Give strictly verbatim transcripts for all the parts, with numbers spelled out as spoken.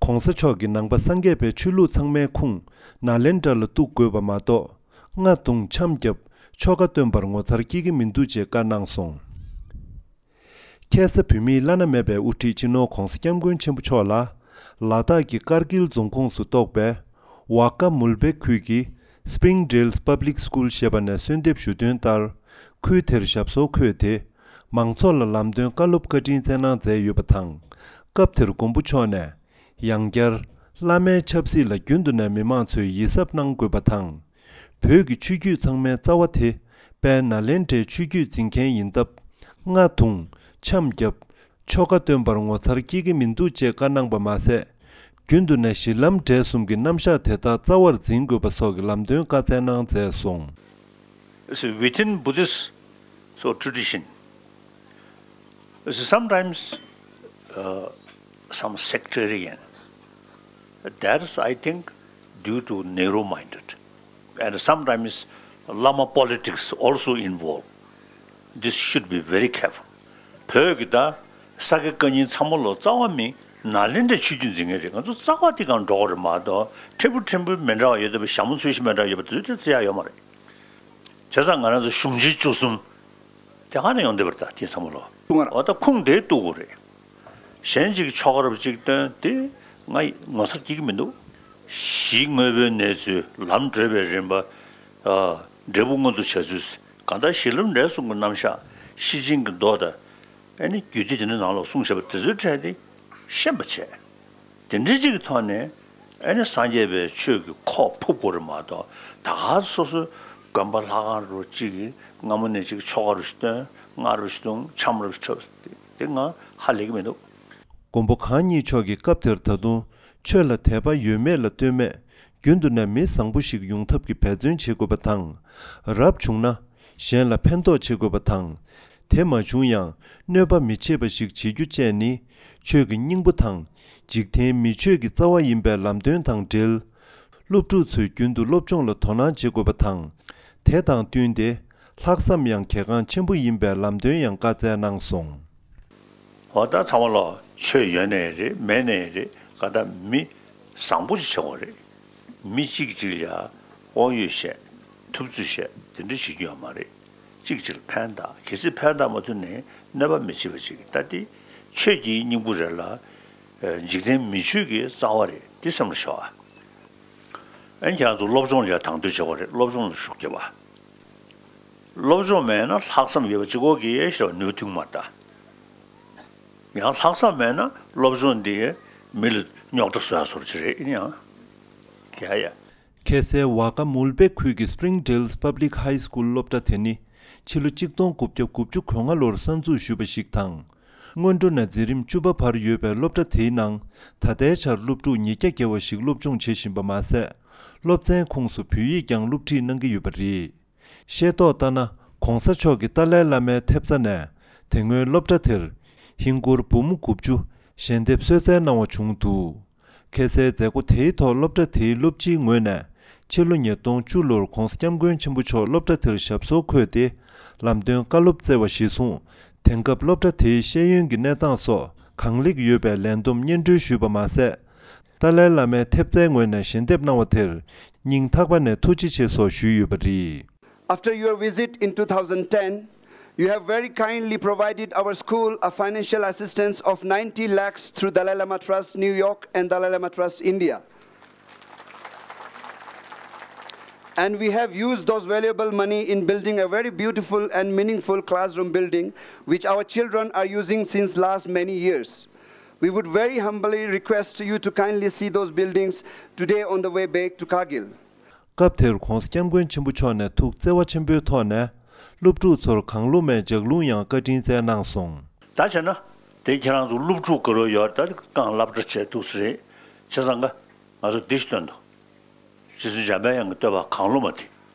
༸གོང་ས་མཆོག་གིས་ནང་པ་སངས་རྒྱས་པའི་ཆོས་ལུགས་ཚང་མའི་ཁུངས་ནཱ་ལེནྡྲ་ལ་གཏུགས་དགོས་པ་མ་གཏོགས། རྔ་བརྡུངས་འཆམ་བརྒྱབ་ཆོ་ག་སྟོན་པར་ངོ་མཚར་སྐྱེ་གི་མི་འདུག་ཅེས་བཀའ་གནང་སོང་། ཁ་སང་བོད་མིའི་བླ་ན་མེད་པའི་དབུ་ཁྲིད་སྤྱི་ནོར་༸གོང་ས་༸སྐྱབས་མགོན་ཆེན་པོ་མཆོག་ལ། ལ་དྭགས་ཀྱི་ཀར་གིལ་རྫོང་ཁོངས་སུ་གཏོགས་པའི་ཝ་ཀ་མུལ་བེག་ཁུལ་གྱི་Springdale Public School ཞེས་པ་ནས་གསོལ་འདེབས་ཞུ་དོན་ལྟར། ཁུལ་དེར་ཞབས་སོར་འཁོད་དེ། མང་ཚོགས་ལ་ལམ་སྟོན་བཀའ་སློབ་བཀའ་དྲིན་སྩལ་གནང་མཛད་ཡོད་པ་དང་། སྐབས་དེར་མགོན་པོ་མཆོག་ནས། ཡང་བསྐྱར། བླ་མའི་ཆབ་སྲིད་ལ་རྒྱུན་དུ་ནས་མི་མང་ཚོས་ཡིད་གཟབ་གནང་དགོས་པ་དང་། བོད་ཀྱི་ཆོས་བརྒྱུད་ཚང་མའི་རྩ་བ་དེ་དཔལ་ནཱ་ལེནྡྲའི་ཆོས་བརྒྱུད་འཛིན་མཁན་ཡིན་སྟབས། རྔ་བརྡུངས་འཆམ་བརྒྱབ་ཆོ་ག་སྟོན་པར་ངོ་མཚར་སྐྱེ་གི་མི་འདུག་ཅེས་བཀའ་གནང་པ་མ་ཟད། རྒྱུན་དུ་ནས་གཞི་ལམ་འབྲས་གསུམ་གྱི་རྣམ་གཞག་དེ་དག་རྩ་བར་འཛིན་དགོས་པ་སོགས་ཀྱི་ལམ་སྟོན་བཀའ་སྩལ་གནང་མཛད་སོང་། It's within Buddhist so tradition. It's sometimes uh, some sectarian. That is, I think, due to narrow minded. And sometimes Lama politics also involved. This should be very careful. བོད་ཀྱི་ད་ས་དགེ་བཀའ་རྙིང་ཚང་མ་ལོ་རྩ་བ་མི་ནཱ་ལེནྡྲའི་ཆོས་བརྒྱུད་འཛིན་མཁན་རེད། ང་ཚོ་རྩ་བ་དེ་གང་འགྲོ་གི་རེད་མ་གཏོགས། ཕྲན་བུ་ཕྲན་བུ་མི་འདྲ་བ་ཡོད་དེ། ཞྭ་མོ་ཚོས་གཞི་མི་འདྲ་བ་ཡོད་པ་དེ་ཚོ་དེ་བརྩི་ཡ་ཡོད་མ་རེད། བྱས་ཙང་ང་རང་ཚོ་གཞུང་ཆེན་བཅུ་གསུམ་དེ་ག་ནས་ཡོང་བསྡད་པ་རེད། ད་དེ་ཚང་མ་ལོ། འོ་ད་ཁུངས་དེ་གཏུག་དགོས་རེད། གཞན་གཅིག་ཆོ་ག་རབ་གཅིག་སྟོན་དེ་ང་ངོ་མཚར་སྐྱེ་གི་མི་འདུག་གཞི་དངོས་པོའི་གནས་ཚུལ། ལམ་བགྲོད་པའི་རིམ་པ། ཨ། འབྲས་བུ་མངོན་དུ་བྱ་ཚུལ། གང་ལྟར་གཞི་ལམ་འབྲས་གསུམ་གྱི་རྣམ་གཞག་ཤེར་ཕྱིན་གྱི་མདོ་དང་། ཨ་ནི་རྒྱུད་སྡེ་དེ་འདྲ་ནང་ལོགས་གསུངས་བཞག་པ་དེ་ཚོའི་གྲས་དེ་ཤེས་པ་བྱས། དེ་འདྲ་གཅིག་གི་ཐོག་ནས་ཨ་ནི་སངས་རྒྱས་པའི་ཆོས་ཀྱི་ཁོག་ཕུབ་དགོས་རེད་མ་གཏོགས། ད་ག་སོ་སོའི་དགོན་པ་ལྷ་ཁང་རུ་གཅིག་གིས་སྔ་མོ་ནས་གཅིག་ཆོ་ག་རུ་ཞིག་སྟོན། རྔ་རུ་ཞིག་བརྡུང་། འཆམ་རུ་ཞིག་འཁྲབ། དེ་ང་ཧ་ལས་ཀྱི་མི་འདུག་མགོན་པོ་གང་ཉིད་མཆོག་གིས་སྐབས་དེར་ད་དུང་ཆོས་ལ་དད་པ་ཡོད་མེད་ལ་ལྟོས་མེད། རྒྱུན་དུ་ནས་མི་བཟང་པོ་ཞིག་ཡོང་ཐབས་ཀྱི་འབད་བརྩོན་བྱེད་དགོས་པ་དང་། རབ་བྱུང་ན་གཞན་ལ་ཕན་ཐོགས་བྱེད་དགོས་པ་དང་། དེ་མ་བྱུང་ཡང་གནོད་པ་མི་བྱེད་པ་ཞིག་བྱེད་རྒྱུ་བཅས་ནི་ཆོས་ཀྱི་སྙིང་པོ་དང་། འཇིག་རྟེན་མི་ཆོས་ཀྱི་རྩ་བ་ཡིན་པའི་ལམ་སྟོན་དང་འབྲེལ། སློབ་ཕྲུག་ཚོས་རྒྱུན་དུ་སློབ་སྦྱོང་ལ་དོ་སྣང་བྱེད་དགོས་པ་དང་། དེ་དང་བསྟུན་ཏེ་ལྷག་བསམ་ཡང་གལ་འགངས་ཆེན་པོ་ཡིན་པའི་ལམ་སྟོན་ཡང་བཀའ་སྩལ་གནང་སོང་། འོ་ད་ཚང་མ་ལོ། ཆོས་ཡོད་ནའི་རེད། མེད་ནའི་རེད། ག་ད་མི་བཟང་པོ་ཞིག་བྱེད་དགོས་རེད། མི་གཅིག་གཅིག་ལ་དབང་ཡོད་བཤད། ཐུབ་ཚོད་བཤད། དེ་འདྲ་བྱེད་རྒྱུ་ཡོད་མ་རེད། གཅིག་གཅིག་ལ་ཕན་བཏགས། གལ་སྲིད་ཕན་བཏགས་མ་ཐུབ་ནའི་གནོད་པ་མི་བྱེད་པ་ཅིག་ད་དེ་ཆོས་ཀྱི་སྙིང་པོ་རེད་ལ། འཇིག་རྟེན་མི་ཆོས་ཀྱི་རྩ་བ་རེད། དེ་སེམས་ལ་ཤོག་ཨ། ཨན་ཁྱེད་རང་ཚོ་སློབ་སྦྱོང་ལ་ཡང་དང་དོད་བྱེད་དགོས་རེད། སློབ་སྦྱོང་ལ་ཤུགས་རྒྱབ་པ། སློབ་སྦྱོང་མེད་ན་ལྷག་བསམ་ཡོད་པ་གཅིག་པོ་གིས་ཞེ་བ་ནུས་ཐུང་མ་རེད་ད། ཡང་ལྷག་བསམ་མེད་ན་སློབ་སྦྱོང་འདིས་མི་ལ་རྙོག་དྲ་བཟོ་ཡ་བཟོ་འདྲ་ཅིག་རེད། ཡིན་ཡང་། ཡ་ཡ། ཁ་སང་ཝ་ཀ་མུལ་བེ་ཁུལ་གྱི་Springdale Public High School སློབ་གྲྭ་དེ་ནི་ཕྱི་ལོ་གཅིག་སྟོང་དགུ་བརྒྱ་དགུ་བཅུ་གོ་ལྔ་ལོར་གསར་འཛུགས་ཞུས་པ་ཞིག་དང་། སྔོན་འགྲོ་ནས་འཛིན་རིམ་བཅུ་པ་བར་ཡོད་པའི་སློབ་གྲྭ་དེའི་ནང་ད་ལྟའི་ཆར་སློབ་ཕྲུག་ཉིས་བརྒྱ་བརྒལ་བ་ཞིག་སློབ་སྦྱོང་བྱེད་བཞིན་པ་མ་ཟད། སློབ་ཚན་ཁོངས་སུ་བོད་ཡིག་ཀྱང་སློབ་ཁྲིད་གནང་གི་ཡོད་པ་རེད། ཤེས་རྟོགས་ལྟར་ན། ༸གོང་ས་མཆོག་གིས་ཏཱ་ལའི་བླ་མའི་ཐེབས་རྩ་ནས་དེ་སྔོན་སློབ་གྲྭ་དེར་ཧིན་སྒོར་འབུམ་དགུ་བཅུ་ཞལ་འདེབས་གསོལ་སྩལ་གནང་བ་བྱུང་འདུག་ཁ་སང་མཛད་སྒོ་དེའི་ཐོག་སློབ་གྲྭ་དེའི་སློབ་སྤྱིའི་ངོས་ནས་ཕྱི་ལོ་ཉིས་སྟོང་བཅུ་ལོར་༸གོང་ས་༸སྐྱབས་མགོན་ཆེན་པོ་མཆོག་སློབ་གྲྭ་དེར་ཞབས་སོར་འཁོད་དེ་ལམ་སྟོན་བཀའ་སློབ་སྩལ་བ་གཞིར་བཟུང་། དེང་སྐབས་སློབ་གྲྭ་དེའི་ཤེས་ཡོན་གྱི་གནས་སྟངས་སོགས་གང་ལེགས་ཡོད་པའི་ལས་བསྡོམས་སྙན་སྒྲོན་ཞུས་པ་མ་ཟད། ཏཱ་ལའི་བླ་མའི་ཐེབས་རྩའི་ངོས་ནས་ཞལ་འདེབས་གནང་བ་དེར་སྙིང་ཐག་པ་ནས་ཐུགས་རྗེ་ཆེ་སོགས་ཞུས་ཡོད་པ་རེད། After your visit in two thousand ten, you have very kindly provided our school a financial assistance of ninety lakhs through Dalai Lama Trust New York and Dalai Lama Trust India. And we have used those valuable money in building a very beautiful and meaningful classroom building, which our children are using since last many years. We would very humbly request you to kindly see those buildings today on the way back to Kargil. སྐབས་དེར་༸གོང་ས་༸སྐྱབས་མགོན་ཆེན་པོ་མཆོག་ནས་ཐུགས་བརྩེ་བ་ཆེན་པོའི་ཐོག་ནས་སློབ་ཕྲུག་ཚོར་གང་བླུ་མེད་ལྗགས་ལུང་ཡང་བཀའ་དྲིན་སྩལ་གནང་སོང་། ད་བྱས་ན། དེ་ཁྱེད་རང་ཚོ་སློབ་ཕྲུག་ག་རེ་ཡོད་ད་རྐང་སློབ་གྲྭ་བྱས་འདུག་ས་རེད། བྱས་ཙང་ཀ་ང་ཚོ་འདི་ཞིག་སྟོན་དོ། རྗེ་བཙུན་འཇམ་པའི་དབྱངས་ཀྱི་བསྟོད་པ་གང་བླུ་མ་དེ།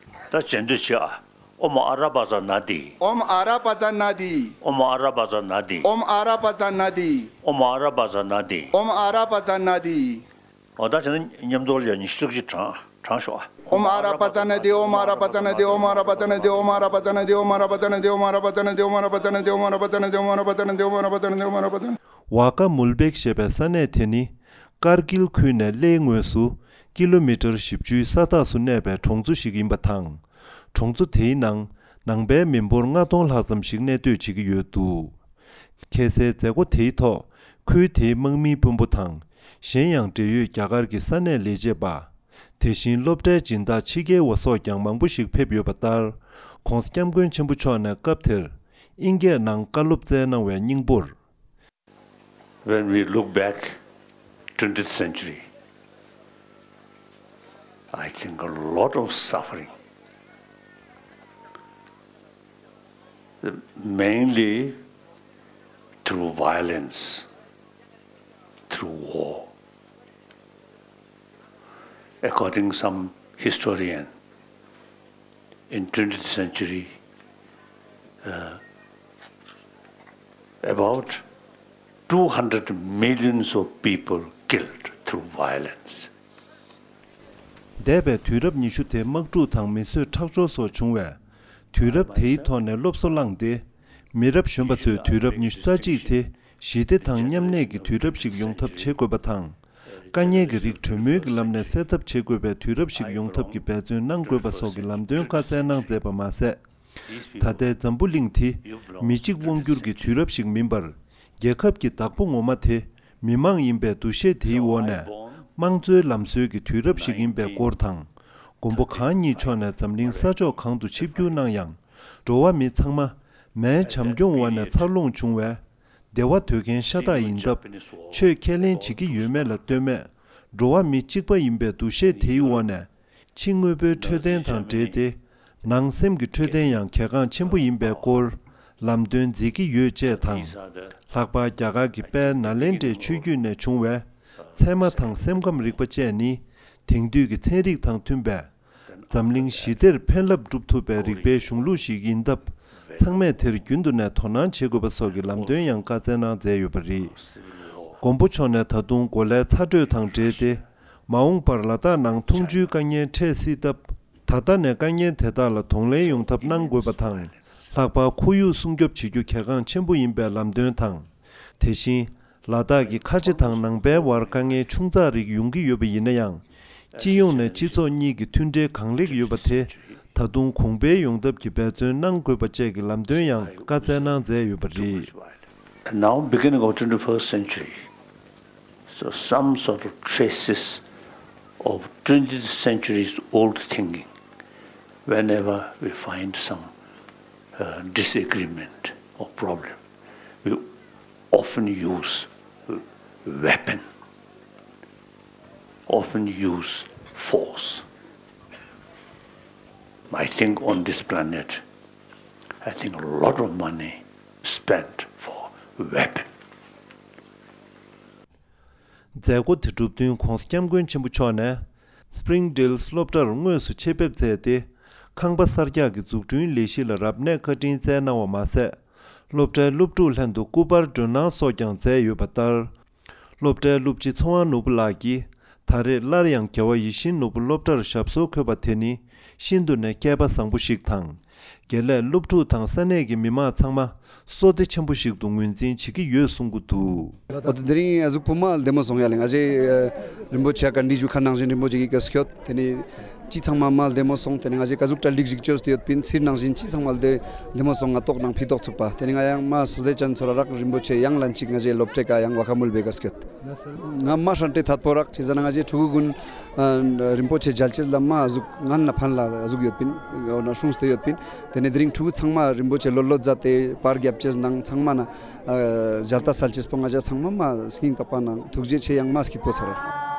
ད་རྗེས་ཟློས་བྱེད་ཨ། ཨོཾ་ཨ་ར་པ་ཙ་ན་དྷཱིཿ་ཨོཾ་ཨ་ར་པ་ཙ་ན་དྷཱིཿ་ཨོཾ་ཨ་ར་པ་ཙ་ན་དྷཱིཿ་ཨོཾ་ཨ་ར་པ་ཙ་ན་དྷཱིཿ་ཨོཾ་ཨ་ར་པ་ཙ་ན་དྷཱིཿ་ཨོཾ་ཨ་ར་པ་ཙ་ན་དྷཱིཿ་འོ་ད་བྱས་ན་མཉམ་དུ་ལ་ཡ་ཉི་ཤུ་རྩ་གཅིག་བགྲང་བགྲང་ཤོག་ཨ། ཨོཾ་ཨ་ར་པ་ཙ་ན་དྷཱིཿ་ཨོཾ་ཨ་ར་པ་ཙ་ན་དྷཱིཿ་ཨོཾ་ཨ་ར་པ་ཙ་ན་དྷཱིཿ་ཨོཾ་ཨ་ར་པ་ཙ་ན་དྷཱིཿ་ཝ་ཀ་མུལ་བེག་ཞེས་པའི་ས་གནས་དེ་ནི། ཀར་གིལ་ཁུལ་ནས་གླེའི་ངོས་སུ་ཀི་ལོ་མི་ཊར་བཞི་བཅུའི་ས་ཐག་སུ་གནས་པའི་གྲོང་ཚོ་ཞིག་ཡིན་པ་དང་། གྲོང་ཚོ་དེའི་ནང་ནང་པའི་མི་འབོར་ལྔ་སྟོང་ལྷག་ཙམ་ཞིག་གནས་སྡོད་བྱེད་ཀྱི་ཡོད་འདུག་ཁ་སའི་མཛད་སྒོ་དེའི་ཐོག་ཁུལ་དེའི་དམག་མིའི་དཔོན་པོ་དང་། གཞན་ཡང་འབྲེལ་ཡོད་རྒྱ་གར་གྱི་ས་གནས་ལས་བྱེད་པ། དེ་བཞིན་སློབ་གྲྭའི་སྦྱིན་བདག་ཕྱི་རྒྱལ་བ་སོགས་ཀྱང་མང་པོ་ཞིག་ཕེབས་ཡོད་པ་ལྟར། ྋགོང་ས་ྋསྐྱབས་མགོན་ཆེན་པོ་མཆོག་ནས་སྐབས་དེར་དབྱིན་སྐད་ནང་བཀའ་སློབ་སྩལ་གནང་བའི་སྙིང་པོར། When we look back twentieth century, I think a lot of suffering, mainly through violence, through war. According some historian, in twentieth century, uh, about two hundred millions of people killed through violence. འདས་པའི་དུས་རབས་ཉི་ཤུ་དེ་དམག་འཁྲུག་དང་མི་གསོད་ཁྲག་སྦྱོར་སོགས་བྱུང་བས། དུས་རབས་དེའི་ཐོག་ནས་སློབ་གསོ་བླངས་ཏེ། མི་རབས་གཞོན་པ་ཚོས་དུས་རབས་ཉི་ཤུ་རྩ་གཅིག་དེ་ཞི་བདེ་དང་མཉམ་གནས་ཀྱི་དུས་རབས་ཤིག་ཡོང་ཐབས་བྱེད་དགོས་པ་དང་། དཀའ་ཉེན་གྱི་རིགས་གྲོས་མོལ་གྱི་ལམ་ནས་སེལ་ཐབས་བྱེད་དགོས་པའི་དུས་རབས་ཤིག་ཡོང་ཐབས་ཀྱི་འབད་བརྩོན་གནང་དགོས་པ་སོགས་ཀྱི་ལམ་སྟོན་བཀའ་སྩལ་གནང་མཛད་པ་མ་ཟད། ད་ལྟའི་འཛམ་བུ་གླིང་དེ་མི་གཅིག་དབང་བསྒྱུར་གྱི་དུས་རབས་ཤིག་མིན་པར། རྒྱལ་ཁབ་ཀྱི་བདག་པོ་ངོ་མ་དེ་མི་མང་ཡིན་པའི་འདུ་ཤེས་དེའི་འོག་ནས་དམངས་གཙོའི་ལམ་སྲོལ་གྱི་དུས་རབས་ཤིག་ཡིན་པའི་སྐོར་དང་། མགོན་པོ་གང་ཉིད་མཆོག་ནས་འཛམ་གླིང་ས་ཕྱོགས་གང་དུ་ཆིབས་བསྒྱུར་གནང་ཡང་། འགྲོ་བ་མི་ཚང་མ་མའི་བྱམས་སྐྱོང་འོག་ནས་འཚར་ལོངས་བྱུང་བས། བདེ་བ་འདོད་མཁན་ཤ་སྟག་ཡིན་སྟབས། ཆོས་ཁས་ལེན་བྱེད་ཀྱི་ཡོད་མེད་ལ་ལྟོས་མེད། འགྲོ་བ་མི་གཅིག་པ་ཡིན་པའི་འདུ་ཤེས་དེའི་འོག་ནས། ཕྱི་དངོས་པོའི་འཕྲོད་བསྟེན་དང་འབྲེལ་ཏེ། ནང་སེམས་ཀྱི་འཕྲོད་བསྟེན་ཡང་གལ་འགངས་ཆེན་པོ་ཡིན་པའི་སྐོར། ལམ་སྟོན་མཛད་ཀྱི་ཡོད་ཅེས་དང་། ལྷག་པར་རྒྱ་གར་གྱི་དཔལ་ནཱ་ལེནྡྲའི་ཆོས་བརྒྱུད་ནས་བྱུང་བའི། ཚད་མ་དང་སེམས་ཁམས་རིག་པ་བཅས་ནི། དེང་དུས་ཀྱི་ཚན་རིག་དང་མཐུན་པས། འཛམ་གླིང་ཞི་བདེར་ཕན་རླབས་སྒྲུབ་ཐུབ་པའི་རིག་པའི་གཞུང་ལུགས་ཤིག་ཡིན་སྟབས། ཚང་མས་དེར་རྒྱུན་དུ་ནས་དོ་སྣང་བྱེད་དགོས་པ་སོགས་ཀྱི་ལམ་སྟོན་ཡང་བཀའ་སྩལ་གནང་མཛད་ཡོད་པ་རེད། མགོན་པོ་མཆོག་ནས་ད་དུང་གོ་ལའི་ཚ་དྲོད་དང་འབྲེལ་ཏེ། མ་འོངས་པར་ལ་དྭགས་ནང་འཐུང་ཆུའི་དཀའ་ངལ་འཕྲད་སྲིད་སྟབས། ད་ལྟ་ནས་དཀའ་ངལ་དེ་དག་ལ་གདོང་ལེན་ཡོང་ཐབས་གནང་དགོས་པ་དང་། ལྷག་པར་ཁོར་ཡུག་སྲུང་སྐྱོབ་བྱེད་རྒྱུ་གལ་འགངས་ཆེན་པོ་ཡིན་པའི་ལམ་སྟོན་དང་། དེ་བཞིན། ལ་དྭགས་ཀྱི་ཁ་ཆེ་དང་ནང་པའི་བར་དཀའ་ངལ་ཆུང་ཙག་རིགས་ཡོང་གི་ཡོད་པ་ཡིན་ན་ཡང་། སྤྱི་ཡོངས་ནས་སྤྱི་ཚོགས་གཉིས་ཀྱི་མཐུན་འབྲེལ་གང་ལེགས་ཡོད་པ་དེ། ད་དུང་གོང་འཕེལ་ཡོང་ཐབས་ཀྱི་འབད་བརྩོན་གནང་དགོས་པ་བཅས་ཀྱི་ལམ་སྟོན་ཡང་བཀའ་སྩལ་གནང་མཛད་ཡོད་པ་རེད། And now, beginning of twenty-first century, so some sort of traces of twentieth century's old thinking, whenever we find some uh, disagreement or problem, we often use weapon, often use force. I think on this planet, I think a lot of money spent for weapon. མཛད་སྒོ་དེ་གྲུབ་བསྟུན་ྋགོང་ས་ྋསྐྱབས་མགོན་ཆེན་པོ་མཆོག་ནས། སྤྲིང་ཌེལ་སློབ་གྲྭར་དངོས་སུ་ཆེད་ཕེབས་མཛད་དེ། ཁང་པ་གསར་རྒྱག་གི་འཛུགས་སྐྲུན་ལས་གཞི་ལ་རབ་གནས་བཀའ་དྲིན་སྩལ་གནང་བ་མ་ཟད། སློབ་གྲྭའི་སློབ་ཕྲུག་ལྷན་དུ་སྐུ་པར་སྒྲོན་གནང་སོགས་ཀྱང་མཛད་ཡོད་པ་ལྟར། སློབ་གྲྭའི་སློབ་སྤྱི་ཚེ་དབང་ནོར་བུ་ལགས་ཀྱིས། ད་རེས་སླར་ཡང་རྒྱལ་བ་ཡིད་བཞིན་ནོར་བུ་སློབ་གྲྭར་ཞབས་སོར་འཁོད་པ་དེ་ནི། ཤིན་ཏུ་ནས་སྐལ་པ་བཟང་པོ་ཞིག་དང་། དགེ་ལས་སློབ་ཕྲུག་དང་ས་གནས་ཀྱི་མི་མང་ཚང་མ་བསོད་བདེ་ཆེན་པོ་ཞིག་ཏུ་ངོས་འཛིན་བྱེད་ཀྱི་ཡོད་གསུང་གི་འདུག། འོ་དེ་དེ་རིང་གཟུགས་པོ་མ་བདེ་མོ་སོང་ཡ་ལེ། ང་ཞེ་རིན་པོ་ཆེ་ག་འདྲི་ཞུ་ཁ་ནང་བཞིན་རིན་པོ་ཆེ་གི་བཀའ་སྐྱོད་དེ་ནི་ཅི་ཚང་མ་མ་བདེ་མོ་སོང་། དེ་ནི་ང་ཞེ་ག་གཟུགས་གྲ་སྒྲིག་ཞིག་བཅོས་ཏེ་ཡོད་པིན། ཚིར་ནང་བཞིན་ཅི་ཚང་མ་བདེ་བདེ་མོ་སོང་། ང་ཏོག་ནང་ཕི་ཏོག་ཚུགས་པ། དེ་ནི་ང་ཡང་མ་སོ་ལེ་ཅན་ཚོ་ར་རག་རིན་པོ་ཆེ་ཡང་ལན་ཅིག་ང་ཞེ་སློབ་གྲྭའི་ཀ་ཡང་བ་ཁ་མུལ་བའི་བཀའ་སྐྱོད། ང་མ་ཧྲན་ཏེ་ཐད་པོ་རག་ཅི་ཟེར་ན་ང་ཞེ་ཕྲུ་གུ་ཀུན་རིན་པོ་ཆེ་མཇལ་ཅེས་ལ་མ་གཟུགས་ངན་ན་ཕན་ལ་གཟུགས་ཡོད་པིན། འོ་ན་སྲུང་སྟེ་ཡོད་པིན། དེ་ནས་དེ་རིང་ཕྲུ་གུ་ཚང་མ་རིན་པོ་ཆེ་ལོ་ལོ་མཛད་དེ་པར་རྒྱབ་ཅེས་ནང་ཚང་མ་ན་མཇལ་ལྟ་སལ་ཅེས་པོ་ང་ཞེ་ཚང་མ་མ་སྙིང་ཐག་པ་ནང་ཐུགས་རྗེ་ཆེ་ཡང་མ་སྐྱིད་པོ་ཚར།